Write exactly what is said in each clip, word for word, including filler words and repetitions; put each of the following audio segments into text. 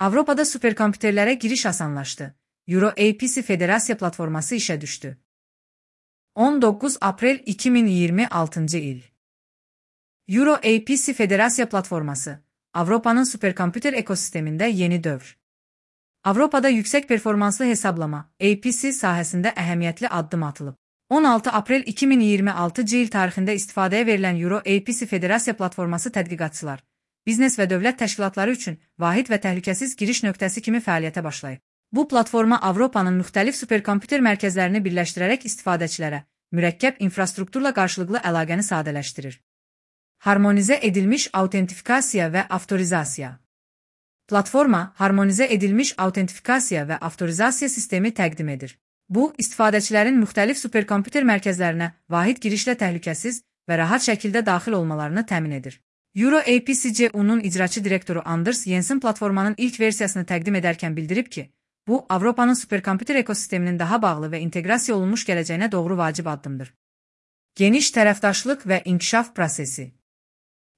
Avropada superkompüterlərə giriş asanlaşdı. Euro A P C Federasiya platforması işə düşdü. on doqquz aprel iki min iyirmi altıncı il. Euro A P C Federasiya platforması, Avropanın superkompüter ekosistemində yeni dövr. Avropada yüksək performanslı hesablama, A P C sahəsində əhəmiyyətli addım atılıb. on altı aprel iki min iyirmi altıncı il tarixində istifadəyə verilən Euro A P C Federasiya platforması tədqiqatçılar, biznes və dövlət təşkilatları üçün vahid və təhlükəsiz giriş nöqtəsi kimi fəaliyyətə başlayıb. Bu platforma Avropanın müxtəlif superkompüter mərkəzlərini birləşdirərək istifadəçilərə mürəkkəb infrastrukturla qarşılıqlı əlaqəni sadələşdirir. Harmonizə edilmiş autentifikasiya və avtorizasiya. Platforma, harmonizə edilmiş autentifikasiya və avtorizasiya sistemi təqdim edir. Bu, istifadəçilərin müxtəlif superkompüter mərkəzlərinə vahid girişlə təhlükəsiz və rahat şəkildə daxil olmalarını təmin edir. Euro A P C C U'nun icraçı direktoru Anders Jensen platformanın ilk versiyasını təqdim edərkən bildirib ki, bu, Avropanın superkompüter ekosisteminin daha bağlı və inteqrasiya olunmuş gələcəyinə doğru vacib addımdır. Geniş tərəfdaşlıq və inkişaf prosesi.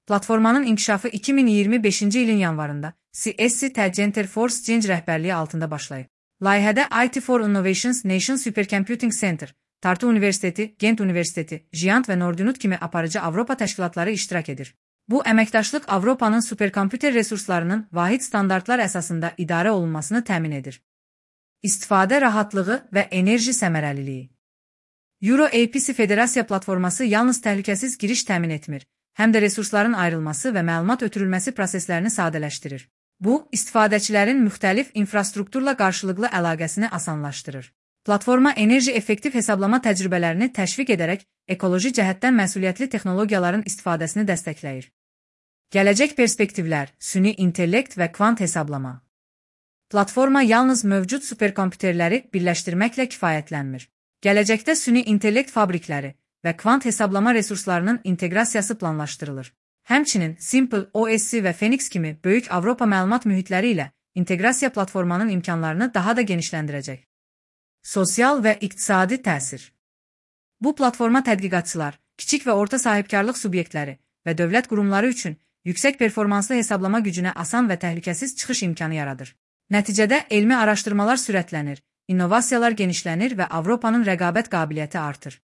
Platformanın inkişafı iki min iyirmi beşinci ilin yanvarında C S C Center for Change rəhbərliyi altında başlayıb. Layihədə I T for Innovations Nation Supercomputing Center, Tartu Universiteti, Gent Universiteti, Giant və Nordinut kimi aparıcı Avropa təşkilatları iştirak edir. Bu əməkdaşlıq Avropanın superkompüter resurslarının vahid standartlar əsasında idarə olunmasını təmin edir. İstifadə rahatlığı və enerji səmərəliliyi. Euro A P C Federasiya platforması yalnız təhlükəsiz giriş təmin etmir, həm də resursların ayrılması və məlumat ötürülməsi proseslərini sadələşdirir. Bu, istifadəçilərin müxtəlif infrastrukturla qarşılıqlı əlaqəsini asanlaşdırır. Platforma enerji effektiv hesablama təcrübələrini təşviq edərək ekoloji cəhətdən məsuliyyətli texnologiyaların istifadəsini dəstəkləyir. Gələcək perspektivlər, süni intellekt və kvant hesablama. Platforma yalnız mövcud superkompüterləri birləşdirməklə kifayətlənmir. Gələcəkdə süni intellekt fabrikləri və kvant hesablama resurslarının inteqrasiyası planlaşdırılır. Həmçinin Simple O S C və Phoenix kimi böyük Avropa məlumat mühitləri ilə inteqrasiya platformanın imkanlarını daha da genişləndirəcək. Sosial və iqtisadi təsir. Bu platforma tədqiqatçılar, kiçik və orta sahibkarlıq subyektləri və dövlət qurumları üçün yüksək performanslı hesablama gücünə asan və təhlükəsiz çıxış imkanı yaradır. Nəticədə elmi araşdırmalar sürətlənir, innovasiyalar genişlənir və Avropanın rəqabət qabiliyyəti artır.